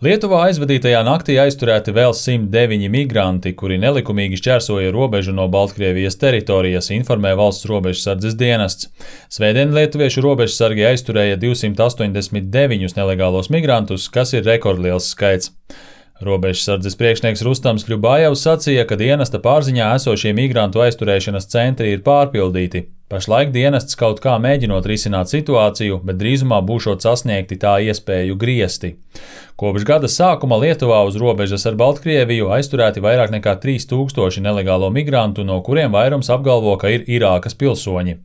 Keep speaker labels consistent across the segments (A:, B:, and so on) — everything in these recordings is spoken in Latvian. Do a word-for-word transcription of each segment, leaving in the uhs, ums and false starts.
A: Lietuvā aizvadītajā naktī aizturēti vēl simt deviņi migranti, kuri nelikumīgi šķērsoja robežu no Baltkrievijas teritorijas, informē Valsts robežsardzes dienests. Svētdien lietuviešu robežsargi aizturēja divsimt astoņdesmit deviņus nelegālos migrantus, kas ir rekordliels skaits. Robežsardzes priekšnieks Rustams Kļubājevs sacīja, ka dienesta pārziņā esošie migrantu aizturēšanas centri ir pārpildīti. Pašlaik dienests kaut kā mēģinot risināt situāciju, bet drīzumā būšot sasniegti tā iespēju griesti. Kopš gada sākuma Lietuvā uz robežas ar Baltkrieviju aizturēti vairāk nekā trīs tūkstoši nelegālo migrantu, no kuriem vairums apgalvo, ka ir Irākas pilsoņi.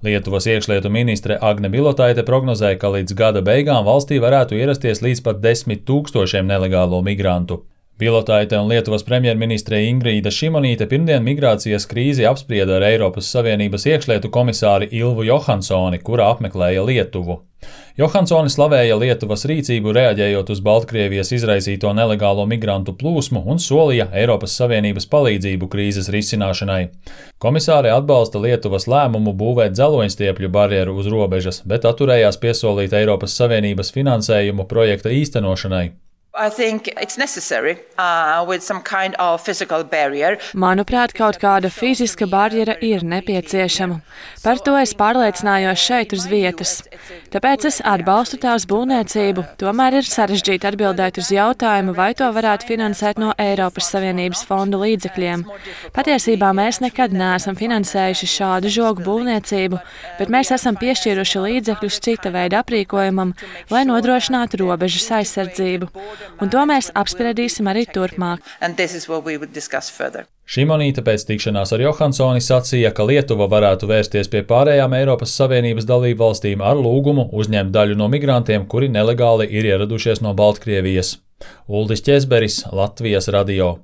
A: Lietuvas iekšlietu ministre Agne Bilotaite prognozēja, ka līdz gada beigām valstī varētu ierasties līdz pat desmit tūkstošiem nelegālo migrantu. Bilotaite un Lietuvas premjerministre Ingrīda Šimonīte pirmdien migrācijas krīzi apsprieda ar Eiropas Savienības iekšlietu komisāri Ilvu Johansoni, kura apmeklēja Lietuvu. Johansoni slavēja Lietuvas rīcību reaģējot uz Baltkrievijas izraisīto nelegālo migrantu plūsmu un solīja Eiropas Savienības palīdzību krīzes risināšanai. Komisāre atbalsta Lietuvas lēmumu būvēt dzeloņstiepļu barjeru uz robežas, bet atturējās piesolīt Eiropas Savienības finansējumu projekta īstenošanai.
B: I think it's necessary uh, with some kind of physical barrier.
C: Manuprāt, kaut kāda fiziska barjera ir nepieciešama. Par to es pārliecinājos šeit uz vietas. Tāpēc es atbalstu tās būvniecību, tomēr ir sarežģīti atbildēt uz jautājumu, vai to varētu finansēt no Eiropas Savienības fondu līdzekļiem. Patiesībā mēs nekad neesam finansējuši šādu žogu būvniecību, bet mēs esam piešķīruši līdzekļus cita veida aprīkojumam, lai nodrošinātu robežas aizsardzību. Un to mēs apspriedīsim arī turpmāk.
A: Šimonīte pēc tikšanās ar Johansoni sacīja, ka Lietuva varētu vērsties pie pārējām Eiropas Savienības dalību valstīm ar lūgumu uzņemt daļu no migrantiem, kuri nelegāli ir ieradušies no Baltkrievijas. Uldis Ķezberis, Latvijas radio.